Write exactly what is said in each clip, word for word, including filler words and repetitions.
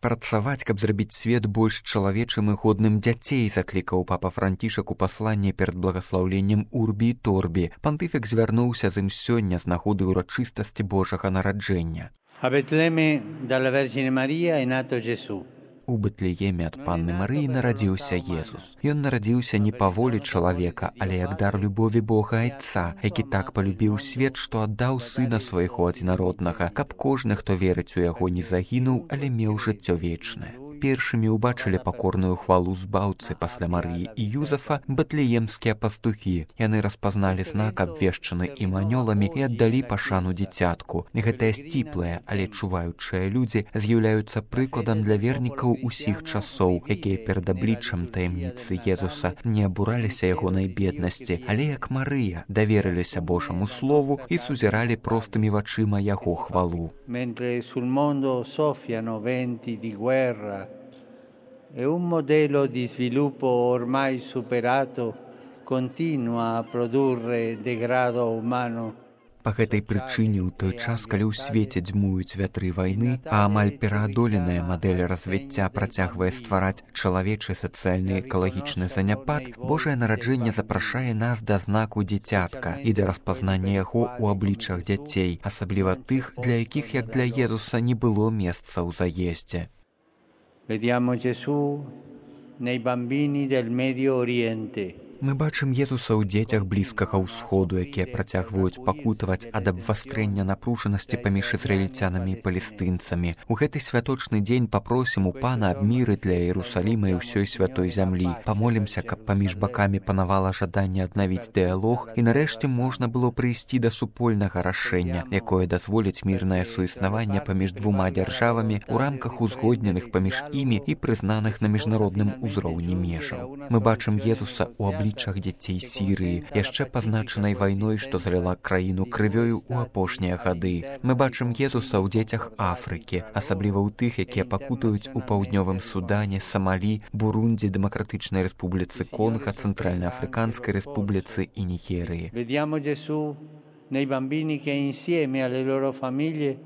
Працаваць, каб зрабіць свет больш чалавечым і годным дзяцей, заклікаў папа Францішак у пасланні перад благаслаўленнем Урбі і Торбі. Пантыфік звярнуўся з ім сёння з нагоды ўрачыстасці Божага нараджэння. A Betlemme dalla Vergine Maria è nato Gesù. У Бэтлееме ад Панны Марыі нарадзіўся Езус. Ён нарадзіўся не па волі чалавека, але як дар любові Бога Айца, які так палюбіў свет, што аддаў сына свайго адзінароднага, каб кожны, хто верыць у яго, не загінуў, але меў жыццё вечнае. Першымі ўбачылі пакорную хвалу збаўцы пасля Марыі і Юзафа бэтлеемскія пастухі. Яны распазналі знак, абвешчаны ім анёламі, і аддалі пашану дзіцятку. Гэтыя сціплыя, але чуваючыя людзі з'яўляюцца прыкладам для вернікаў усіх часоў, якія перад абліччам таямніцы Езуса не абураліся ягонай беднасці, але як Марыя даверыліся Божаму слову і сузіралі простымі вачыма яго хвалу. Mentre sul mondo soffiano venti di guerra e un modello di sviluppo ormai superato continua a produrre degrado umano. Па гэтай прычыне ў той час, калі ў свеце дзьмуюць вятры вайны, а амаль пераадоленая мадэль развіцця працягвае ствараць чалавечы сацыяльны экалагічны заняпад, Божае нараджэнне запрашае нас да знаку дзіцятка і да распазнання яго ў абліччах дзяцей, асабліва тых, для якіх, як для Езуса, не было месца ў заездзе. Vediamo Gesù nei bambini del Medio Oriente. Мы бачым Езуса ў дзецях блізкага ўсходу, якія працягваюць пакутаваць ад абвастрэння напружанасці паміж ізраільцянамі і палестынцамі. У гэты святочны дзень папросім у Пана аб міры для Іерусаліма і ўсёй святой зямлі. Памолімся, каб паміж бакамі панавала жаданне аднавіць дыялог і нарэшце можна было прыйсці да супольнага рашэння, якое дазволіць мірнае суіснаванне паміж двума дзяржавамі ў рамках узгодненых паміж імі і прызнаных на міжнародным узроўні межаў. Мы бачым Езуса ў абліччах дзяцей Сірыі, яшчэ пазначанай вайной, што заліла краіну крывёю ў апошнія гады. Мы бачым Езуса ў дзецях Афрыкі, асабліва ў тых, якія пакутаюць у паўднёвым Судане, Самалі, Бурунді, Дэмакратычнай рэспубліцы Конга, Цэнтральна-Афрыканскай рэспубліцы і Нігерыі. Vediamo Gesù nei bambini che insieme alle loro famiglie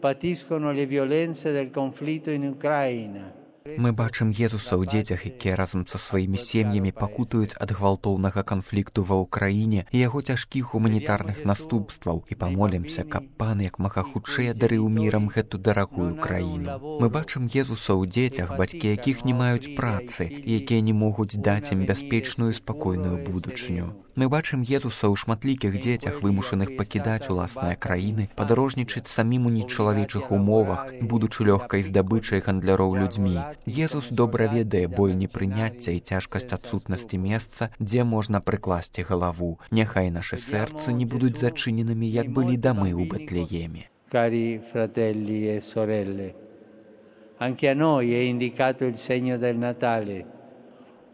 patiscono le violenze del conflitto in Ucraina. Мы бачым Езуса ў дзецях, якія разам са сваімі сем'ямі пакутаюць ад гвалтоўнага канфлікту ва ўкраіне і яго цяжкіх гуманітарных наступстваў, і памолімся, каб Пан як мага хутчэй дарыў мірам гэту дарагую краіну. Мы бачым Езуса ў дзецях, бацькі якіх не маюць працы, і якія не могуць даць ім бяспечную і спакойную будучыню. Мы бачым Езуса ў шматлікіх дзецях, вымушаных пакідаць уласныя краіны, падарожнічаць самім у нечалавечых умовах, будучы лёгкай здабычай гандляроў людзьмі. Езус добра ведае боль непрыняцця і цяжкасць адсутнасці месца, дзе можна прыкласці галаву. Няхай нашы сэрцы не будуць зачыненымі, як былі дамы ў Бэтлееме. Cari fratelli e sorelle, anche a noi è indicato il segno del Natale.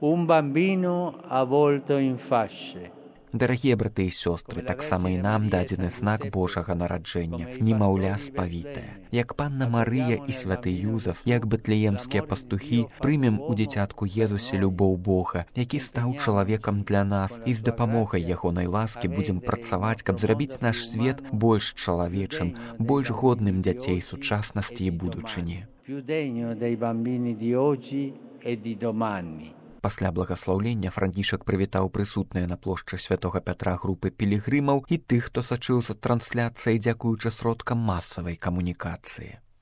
Un bambino avvolto in fasce. Дарагія браты і сёстры, таксама і нам дадзены знак Божага нараджэння, немаўля спавітае. Як Панна Марыя і святы Юзаф, як бэтлеемскія пастухі, прымем у дзіцятку Езусе любоў Бога, які стаў чалавекам для нас, і з дапамогай ягонай ласкі будзем працаваць, каб зрабіць наш свет больш чалавечым, больш годным дзяцей сучаснасці і будучыні. Più degno dei bambini di oggi e di domani. Пасля благаслаўлення Францішак прывітаў прысутныя на плошчы святога Пятра групы пілігрымаў і тых, хто сачыў за трансляцыяй дзякуючы сродкам масавай камунікацыі.